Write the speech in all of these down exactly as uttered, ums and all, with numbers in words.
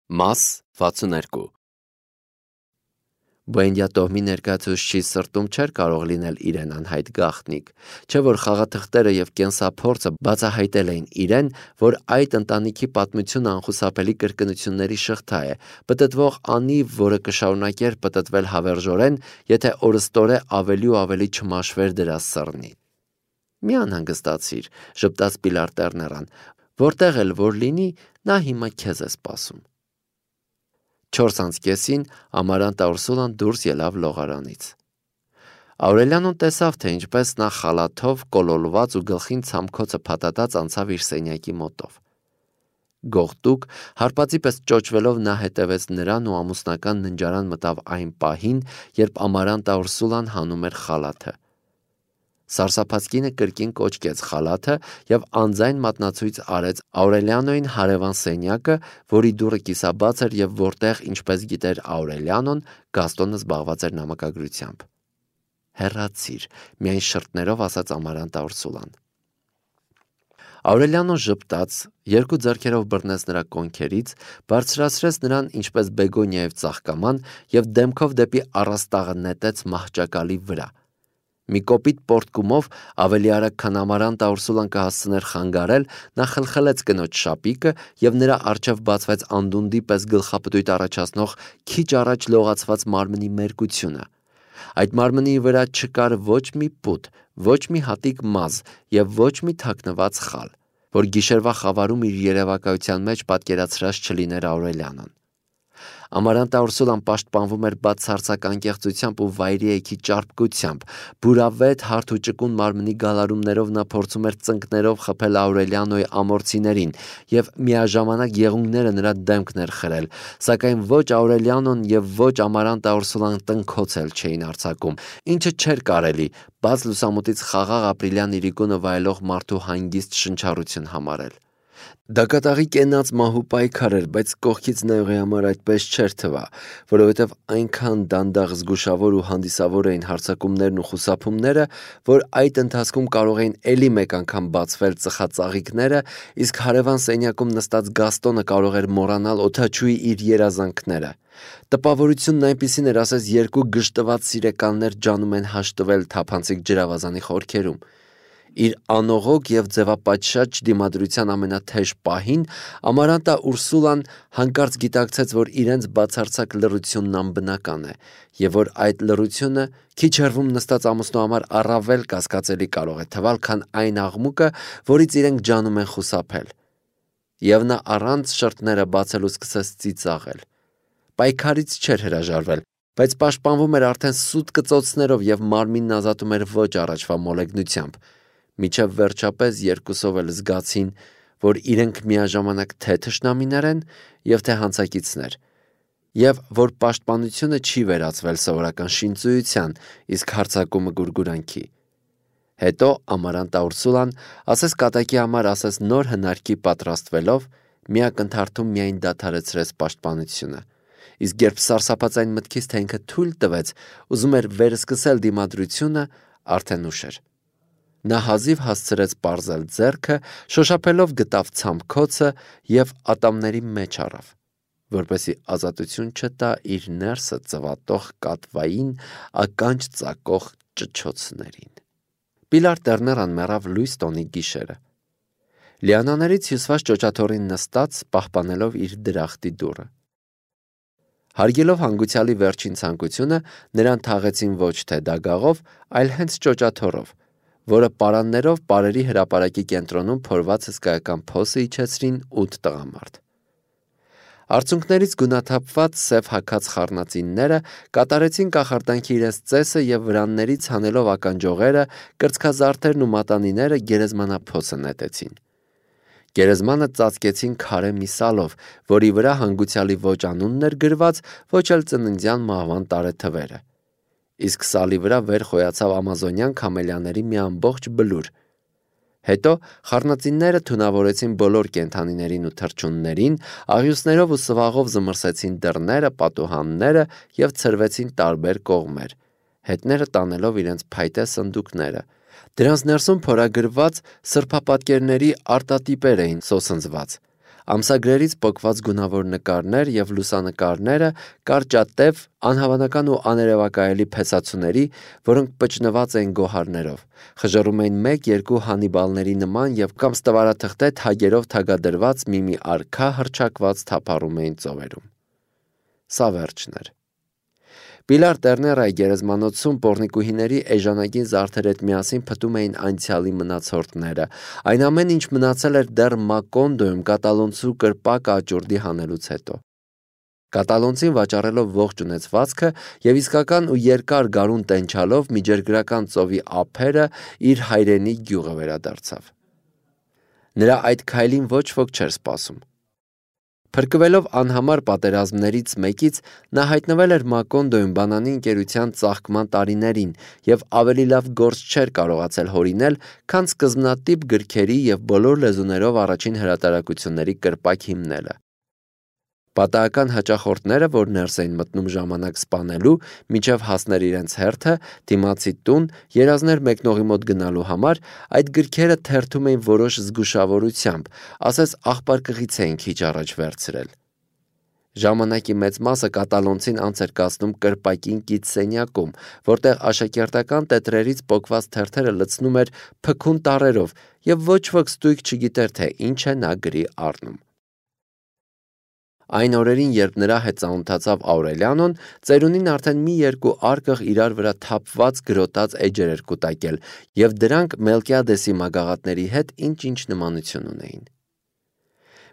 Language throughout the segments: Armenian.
Մաս վաթսուններկու Բոյնդյա տոհմի ներկայացուցչի սրտում չէր կարող լինել իրեն անհայտ գաղտնիք, չէ որ խաղաթղթերը և կենսափորձը բացահայտել էին իրեն, որ այդ ընտանիքի պատմությունը անխուսափելի կրկնությունների շղթա է, պտտվող անիվ, որը կշարունակեր պտտվել հավերժորեն, եթե օրըստօրե ավելի ու ավելի չմաշվեր դրա սռնի։ Մի անհանգստացիր, ժպտաց Պիլար Տերներան, որտեղ էլ որ լինի, նա հիմա քեզ է սպասում։ Չորս անց կեսին Ամարանտա Ուրսուլան դուրս ելավ լողարանից։ Աուրելյանոն տեսավ, թե ինչպես նա խալաթով կոլոլված ու գլխին ցամքոցը փաթաթած անցավ իր սենյակի մոտով։ Գողտուկ, հարպածի պես ճոճվելով նա հետևեց նրան ու ամուսնական ննջարան մտավ այն պահին, երբ Ամարանտա Ուրսուլան հանում էր խալաթը։ Սարսափած կինը կրկին կոչկեց խալաթը և անձայն մատնացույց արեց Աուրելյանոյին հարևան սենյակը, որի դուռը կիսաբաց էր և որտեղ, ինչպես գիտեր Աուրելյանոն, Գաստոնը զբաղված էր նամակագրությամբ։ Հեռացիր, միայն շրթներով ասաց Ամարանտա Ուրսուլան։ Աուրելյանոն ժպտաց, երկու ձեռքերով բռնեց նրա կոնքերից, բարձրացրեց նրան ինչպես բեգոնիայով ծաղկաման և դեմքով դեպի առաստաղը նետեց մահճակալի վրա։ Մի կոպիտ պոռթկումով, ավելի արագ, քան Ամարանտա Ուրսուլան կհասցներ խանգարել, նա խլխլեց կնոջ շապիկը և նրա առջև բացվեց անդունդի պես գլխապտույտ առաջացնող քիչ առաջ լողացված մարմնի մերկությունը։ Այդ մարմնի վրա չկար ոչ մի պուտ, ոչ մի հատիկ մազ և ոչ մի թաքնված խալ, որ գիշերվա խավարում իր երևակայության մեջ պատկերացրած չլիներ Աուրելյանոն։ Ամարանտա Ուրսուլան պաշտպանվում էր բացարձակ անկեղծությամբ ու վայրիեքի ճարպկությամբ, բուրավետ հարթ ու ճկուն մարմնի գալարումներով նա փորձում էր ծնկներով խփել Աուրելյանոյի ամորցիներին և միաժամանակ եղունգները նրա դեմքն էր խրել, սակայն ոչ Աուրելյանոն և ոչ Ամարանտա Ուրսուլան տնքոց էլ չէին արձակում, ինչը չէր կարելի բաց լուսամուտից խաղաղ ապրիլյան իրիկունը վայելող մարդու հանգիստ շնչառություն համարել։ Դա կատաղի կենաց մահու պայքար էր, բայց կողքից նայողի համար այդպես չէր թվա, որովհետև այնքան դանդաղ զգուշավոր ու հանդիսավոր էին հարձակումներն ու խուսափումները, որ այդ ընթացքում կարող էին էլի մեկ անգամ բացվել ծխածաղիկները, իսկ հարևան սենյակում նստած Գաստոնը կարող էր մոռանալ օդաչուի իր երազանքները։ Տպավորությունն այնպիսին էր, ասես երկու գժտված սիրեկաններ ջանում են հաշտվել թափանցիկ ջրավազանի խորքերում։ Իր անողոք և ձևապատշաճ դիմադրության ամենաթեժ պահին Ամարանտա Ուրսուլան հանկարծ գիտակցեց, որ իրենց բացարձակ լռությունն անբնական է և որ այդ լռությունը քիչ հեռվում նստած ամուսնու համար առավել կասկածելի կարող է թվալ, քան այն աղմուկը, որից իրենք ջանում են խուսափել։ Եվ նա առանց շրթները բացելու սկսեց ծիծաղել։ Պայքարից չէր հրաժարվել, բայց պաշտպանվում էր արդեն սուտ կծոցներով և մարմինն ազատում էր ոչ առաջվա մոլեգնությամբ, մինչև վերջապես երկուսով էլ զգացին, որ իրենք միաժամանակ թե թշնամիներ են և թե հանցակիցներ, և որ պաշտպանությունը չի վերածվել սովորական շինծույության, իսկ հարձակումը գուրգուրանքի։ Հետո Ամարանտա Ուրսուլան, ասես կատակի համար, ասես նոր հնարքի պատրաստվելով, մի ակնթարթում միայն դադարեցրեց պաշտպանությունը, իսկ երբ սարսափած այն մտքից, թե ինքը թույլ տվեց, ուզում էր վերսկսել դիմադրությունը, արդեն ուշ էր։ Նա հազիվ հասցրեց պարզել ձեռքը, շոշափելով գտավ ցամքոցը և ատամների մեջ առավ, որպեսզի ազատություն չտա իր ներսը ծվատող կատվային, ականջ ծակող ճչոցներին։ Պիլար Տերներան մեռավ լույս տոնի գիշերը։ Լիանաներից հյուսված ճոճաթոռին նստած, պահպանելով իր դրախտի դուռը։ Հարգելով հանգուցյալի վերջին ցանկությունը, նրան թաղեցին ոչ թե դագաղով, այլ հենց ճոճաթոռով, որը պարաններով պարերի հրապարակի կենտրոնում փորված հսկայական փոսը իջեցրին ութ տղամարդ։ Արցունքներից գունաթափված սև հագած խառնածինները կատարեցին կախարդանքի իրենց ծեսը և վրաններից հանելով ականջողերը, կրծքազարդերն ու մատանիները գերեզմանափոսը նետեցին։ Գերեզմանը ծածկեցին քարե մի սալով, որի վրա հանգուցյալի ոչ անունն էր գրված, ոչ էլ ծննդյան մահվան տարեթվերը, իսկ սալի վրա վեր խոյացավ ամազոնյան քամելիաների մի ամբողջ բլուր։ Հետո խառնածինները թունավորեցին բոլոր կենդանիներին ու թռչուններին, աղյուսներով ու սվաղով զմռսեցին դռները, պատուհանները և ցրվեցին տարբեր կողմեր, հետները տանելով իրենց փայտե սնդուկները։ Դրանց ներսում փորագրված սրբապատկերների արտատիպեր էին սոսնձված, Ամսագրերից պոկված գունավոր նկարներ և լուսանկարները կարճատև, անհավանական ու աներևակայելի փեսացուների, որոնք պճնված էին գոհարներով, խժռում էին մեկ-երկու Հանիբալների նման և կամ ստվարաթղթե թագերով թագադրված մի-մի արքա հռչակված թափառում էին ծովերում։ Սա վերջն էր։ Պիլար Տերներայի գերեզմանոցում պոռնիկուհիների էժանագին զարդեր հետ միասին փտում էին անցյալի մնացորդները, այն ամեն ինչ մնացել էր դեռ Մակոնդոյում կատալոնցու կրպակ աճուրդի հանելուց հետո։ Կատալոնցին վաճառելով ողջ ունեցվածքը և իսկական ու երկար գարուն տենչալով միջերգրական ծովի ափերը իր հայրենի գյուղը վերադարձավ։ Նրա այդ քայլին ոչ ոք չէր սպասում։ Փրկվելով անհամար պատերազմներից մեկից, նա հայտնվել էր Մակոնդոյում բանանի ընկերության ծաղկման տարիներին և ավելի լավ գործ չէր կարողացել հորինել, քան սկզբնատիպ գրքերի և բոլոր լեզուներով առաջին հրատարակությունների կրպակ հիմնելը։ Պատահական հաճախորդները, որ ներս էին մտնում ժամանակ սպանելու, մինչև հասներ իրենց հերթը, դիմացի տուն, երազներ մեկնողի մոտ գնալու համար, այդ գրքերը թերթում էին որոշ զգուշավորությամբ, ասես աղբարկղից էին քիչ առաջ վերցրել։ Ժամանակի մեծ մասը կատալոնցին անց էր կացնում կրպակին կից սենյակում, որտեղ աշակերտական տետրերից պոկված թերթերը լցնում էր փքուն տառերով և ոչ ոք ստույգ չգիտեր, թե ինչ է նա գրի առնում։ Այն օրերին, երբ նրա հետ ծանոթացավ Աուրելիանոն, ծերունին արդեն մի երկու արկղ իրար վրա թափված գրոտած էջեր էր կուտակել, և դրանք Մելկիադեսի մագաղատների հետ ինչ-ինչ նմանություն ունեին։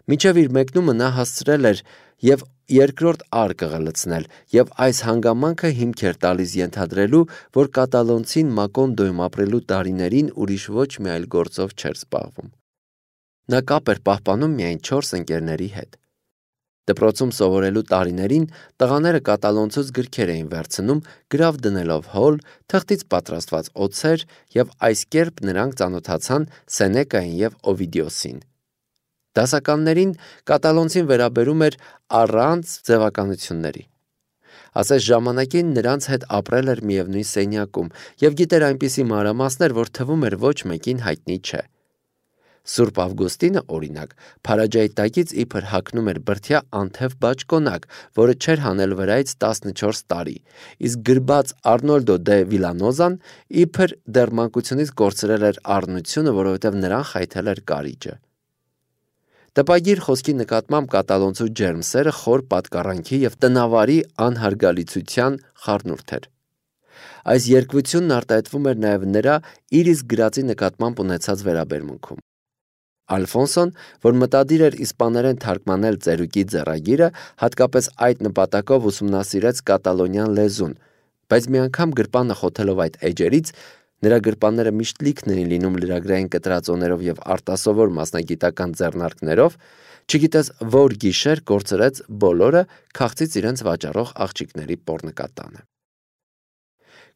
Մինչև իր մեկնումը նա հասցրել էր և երկրորդ արկղը լցնել, և այս հանգամանքը հիմք էր տալիս ենթադրելու, որ կատալոնցին Մակոնդոյում ապրելու տարիներին ուրիշ ոչ մի այլ գործով չէր զբաղվում։ Նա կապ էր պահպանում միայն չորս ընկերների հետ։ Դպրոցում սովորելու տարիներին տղաները կատալոնցուց գրքեր էին վերցնում, գրավ դնելով հոլ, թղթից պատրաստված օձեր, և այս կերպ նրանք ծանոթացան Սենեկային և Օվիդիոսին։ Դասականներին կատալոնցին վերաբերում էր առանց ձևականությունների։ Ասես ժամանակին նրանց հետ ապրել էր միևնույն սենյակում և գիտեր այնպիսի մանրամասներ, որ թվում էր ոչ մեկին հայտնի չէ։ Սուրբ Ավգուստինը, օրինակ, Փարաջայի տակից իբր հագնում էր բրդյա անթև բաճկոնակ, որը չէր հանել վրայից տասնչորս տարի, իսկ գրբաց Արնոլդո դե Վիլանոզան իբր դեռ մանկությունից կորցրել էր առնությունը, որովհետև նրան խայթել էր կարիճը։ Տպագիր խոսքի նկատմամբ կատալոնցու ջերմ սերը խոր պատկառանքի և տնավարի անհարգալիցության խառնուրդ էր։ Այս երկվությունն արտահայտվում էր նաև նրա իր իսկ գրածի նկատմամբ ունեցած վերաբերմունքում։ Ալֆոնսոն, որ մտադիր էր իսպաներեն թարգմանել ծերուկի ձեռագիրը, հատկապես այդ նպատակով ուսումնասիրեց կատալոնյան լեզուն, բայց մի անգամ գրպանը խոթելով այդ էջերից, նրա գրպանները միշտ լիքն էին լինում լրագրային կտրածոներով և արտասովոր մասնագիտական ձեռնարկներով, չգիտես որ գիշեր կորցրեց բոլորը, քաղցից իրենց վաճառող աղջիկների պոռնկատանը։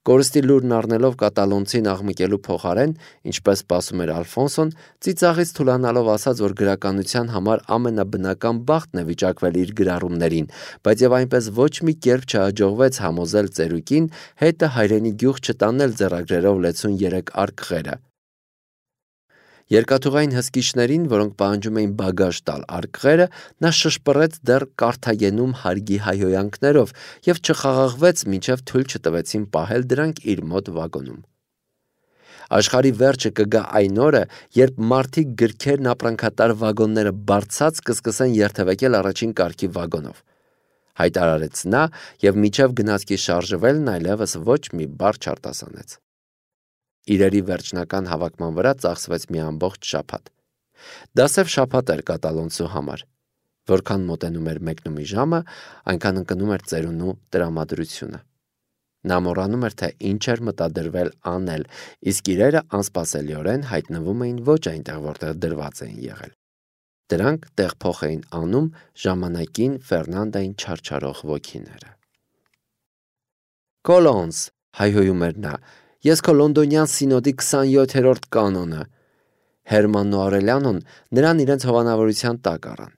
Կորստի լուրն առնելով կատալոնցին աղմկելու փոխարեն, ինչպես սպասում էր Ալֆոնսոն, ծիծաղից թուլանալով ասաց, որ գրականության համար ամենաբնական բախտն է վիճակվել իր գրառումներին, բայց և այնպես ոչ մի կերպ չհաջողվեց համոզել ծերուկին հետը հայրենի գյուղ չտանել ձեռագրերով լեցուն երեք արկղերը։ Երկաթուղային հսկիչներին, որոնք պահանջում էին բագաժ տալ արկղերը, նա շշպռեց դեռ Կարթագենում հարգի հայհոյանքներով և չխաղաղվեց, մինչև թույլ չտվեցին պահել դրանք իր մոտ վագոնում։ Աշխարհի վերջը կգա այն օրը, երբ մարդիկ գրքերն ապրանքատար վագոնները բարձած կսկսեն երթևեկել առաջին կարգի վագոնով, հայտարարեց նա և մինչև գնացքի շարժվելն այլևս ոչ մի բառ չարտասանեց։ Իրերի վերջնական հավաքման վրա ծախսվեց մի ամբողջ շաբաթ։ Դա սև շաբաթ էր կատալոնցու համար։ Որքան մոտենում էր մեկնումի ժամը, այնքան ընկնում էր ծերունու տրամադրությունը։ Նա մոռանում էր, թե ինչ էր մտադրվել անել, իսկ իրերը անսպասելիորեն հայտնվում էին ոչ այնտեղ, որտեղ դրված էին եղել։ Դրանք տեղփոխ էին անում ժամանակին Ֆերնանդային չարչարող ոգիները։ Կոլոնս, հայհոյում էր նա, ես քո լոնդոնյան սինոդի քսանյոթերորդ կանոնը։ Հերմանն ու Աուրելիանոն նրան իրենց հովանավորության տակ առան։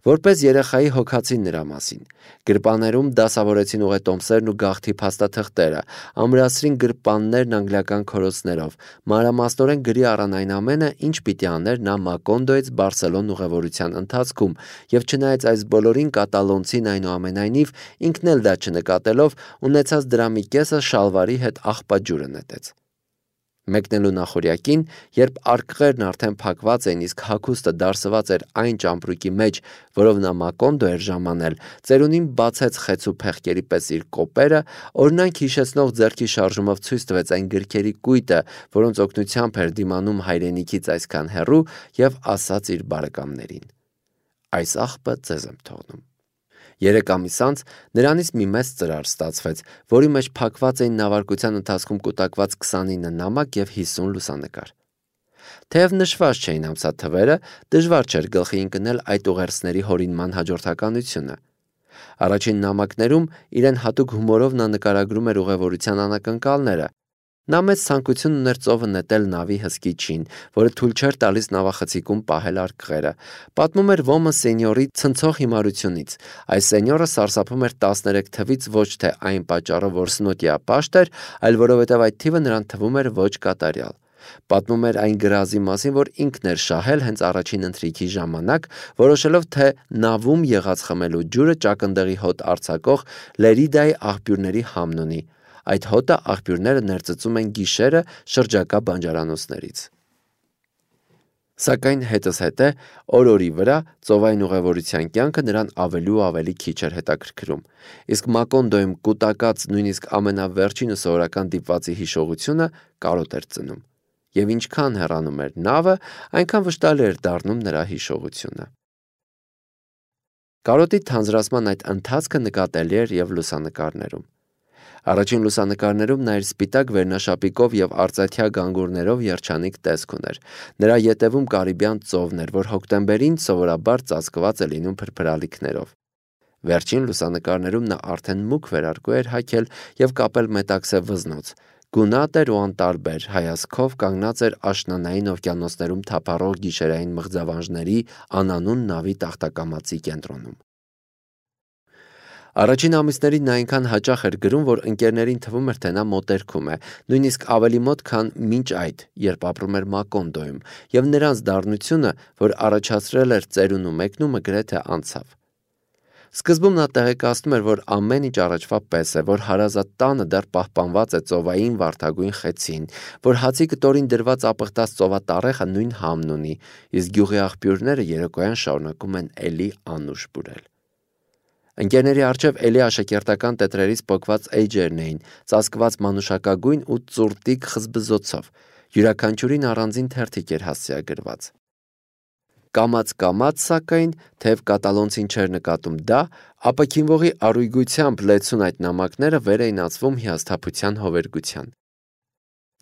Որպես երեխայի հոգացին նրա մասին, գրպաններում դասավորեցին ուղետոմսերն ու գաղթի փաստաթղթերը, ամրացրին գրպաններն անգլիական քորոցներով, մանրամասնորեն գրի առան այն ամենը, ինչ պիտի աներ նա Մակոնդոյից Բարսելոն ուղևորության ընթացքում, եւ չնայած այս բոլորին կատալոնցին այնուամենայնիվ ինքն էլ դա չնկատելով, ունեցած դրա մի կեսը շալվարի հետ աղբաջուրը նետեց։ Մեկնելու նախորյակին, երբ արկղերն արդեն փակված էին, իսկ հագուստը դարսված էր այն ճամպրուկի մեջ, որով նա Մակոնդո էր ժամանել, ծերունին բացեց խեցու փեղկերի պես իր կոպերը, օրինակ հիշեցնող ձեռքի շարժումով ցույց տվեց այն գրքերի կույտը, որոնց օգնությամբ էր դիմանում հայրենիքից այսքան հեռու, եւ ասաց իր բարեկամներին. «Այս աղբը ձեզ եմ թողնում»։ Երեք ամիս անց նրանից մի մեծ ծրար ստացվեց, որի մեջ փակված էին նավարկության ընթացքում կուտակված քսանինը նամակ եւ հիսուն լուսանկար։ Թեև նշված չէին ամսաթվերը, դժվար չէր գլխի ընկնել այդ ուղերձների հորինման հաջորդականությունը։ Առաջին նամակներում իրեն հատուկ հումորով նա նկարագրում էր ուղևորության անակնկալները։ Նա մեծ ցանկություն ուներ ծովը նետել նավի հսկիչին, որը թույլ չէր տալիս նավախցիկում պահել արկղերը։ Պատմում էր ոմը սենյորի ցնցող հիմարությունից։ Այս սենյորը սարսափում էր տասներեք թվից ոչ թե այն պատճառով, որ սնոտիա պաշտ էր, այլ որովհետև այդ թիվը նրան թվում էր ոչ կատարյալ։ Պատմում էր այն գրազի մասին, որ ինքն էր շահել հենց առաջին ընթրիքի ժամանակ, որոշելով, թե նավում եղած խմելու ջուրը ճակնդեղի հոտ արձակող Լերիդայի աղբյուրների համն ունի։ Այդ հոտը աղբյուրները ներծծում են գիշերը շրջակա բանջարանոցներից։ Սակայն հետզհետե օր-օրի վրա ծովային ուղևորության կյանքը նրան ավելի ու ավելի քիչ էր հետաքրքրում, իսկ Մակոնդոյում կուտակած նույնիսկ ամենավերջինը սովորական դիպվածի հիշողությունը կարոտ էր ծնում, եւ ինչքան հեռանում էր նավը, այնքան վշտալի էր դառնում նրա հիշողությունը։ Կարոտի թանձրացման այդ ընթացքը նկատելի էր եւ լուսանկարներում։ Առաջին լուսանկարներում նա իր սպիտակ վերնաշապիկով եւ արծաթյա գանգուրներով երջանիկ տեսք ուներ։ Նրա ետևում Կարիբյան ծովն էր, որ հոկտեմբերին սովորաբար ծածկված է լինում փրփրալիքներով։ Վերջին լուսանկարներում նա արդեն մուգ վերարկու էր հագել եւ կապել մետաքսե վզնոց։ Գունատ էր ու անտարբեր, հայացքով կանգնած էր աշնանային օվկիանոսներում թափառող գիշերային մղձավանջների անանուն նավի տախտակամածի կենտրոնում։ Առաջին ամիսներին նա այնքան հաճախ էր գրում, որ ընկերներին թվում էր, թե նա մոտերքում է, նույնիսկ ավելի մոտ, քան մինչ այդ, երբ ապրում էր Մակոնդոյում, եւ նրանց դառնությունը, որ առաջացրել էր ծերունու մեկնումը, գրեթե անցավ։ Սկզբում նա տեղեկացնում էր, որ ամեն ինչ առաջվա պես է, որ հարազատ տանը դեռ պահպանված է ծովային վարդագույն խեցին, որ հացի կտորին դրված ապխտած ծովատառեխը նույն համն ունի, իսկ գյուղի աղբյուրները երեկոյան շարունակում են էլի անուշ բուրել։ Ընկերների առջև էլի աշակերտական տետրերից պոկված էջերն էին, ծածկված մանուշակագույն ու ծուրտիկ խզբզոցով, յուրաքանչյուրին առանձին թերթիկ էր հասցեագրված։ Կամաց-կամաց, սակայն, թեև կատալոնցին չէր նկատում դա, ապաքինվողի առույգությամբ լեցուն այդ նամակները վեր էին ածվում հիասթափության հովերգության։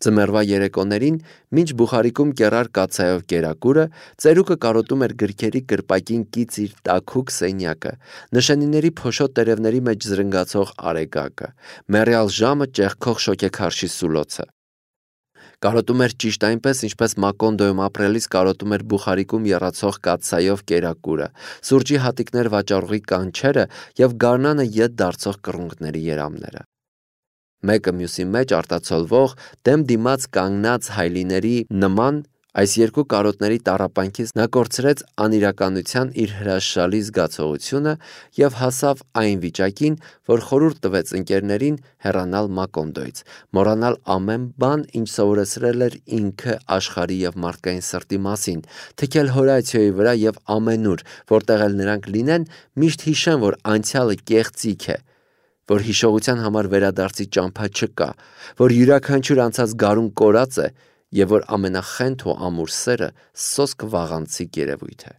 Ձմեռվա երեկոներին, մինչ բուխարիկում կեռար կաթսայով կերակուրը, ծերուկը կարոտում էր գրքերի կրպակին կից իր տաքուկ սենյակը, նշանիների փոշոտ տերևների մեջ զրնգացող արեգակը, մեռյալ ժամը ճեղքող շոգեքարշի սուլոցը։ Կարոտում էր ճիշտ այնպես, ինչպես Մակոնդոյում ապրելիս կարոտում էր բուխարիկում եռացող կաթսայով կերակուրը, սուրճի հատիկներ վաճառողի կանչերը եւ գարնանը ետ դարձող կռունկների երամները։ Մեկը մյուսի մեջ արտացոլվող, դեմ դիմաց կանգնած հայլիների նման այս երկու կարոտների տառապանքից նա կորցրեց անիրականության իր հրաշալի զգացողությունը եւ հասավ այն վիճակին, որ խորհուրդ տվեց ընկերներին հեռանալ Մակոնդոյից, մոռանալ ամեն բան, ինչ սովորեցրել էր ինքը աշխարհի եւ մարդկային սրտի մասին, թքել Հորացիոյի վրա եւ ամենուր, որտեղ էլ նրանք լինեն, միշտ հիշեն, որ անցյալը կեղծիք է, որ հիշողության համար վերադարձի ճամփա չկա, որ յուրաքանչյուր անցած գարուն կորած է եւ որ ամենախենթ ու ամուր սերը սոսկ վաղանցիկ երևույթ է։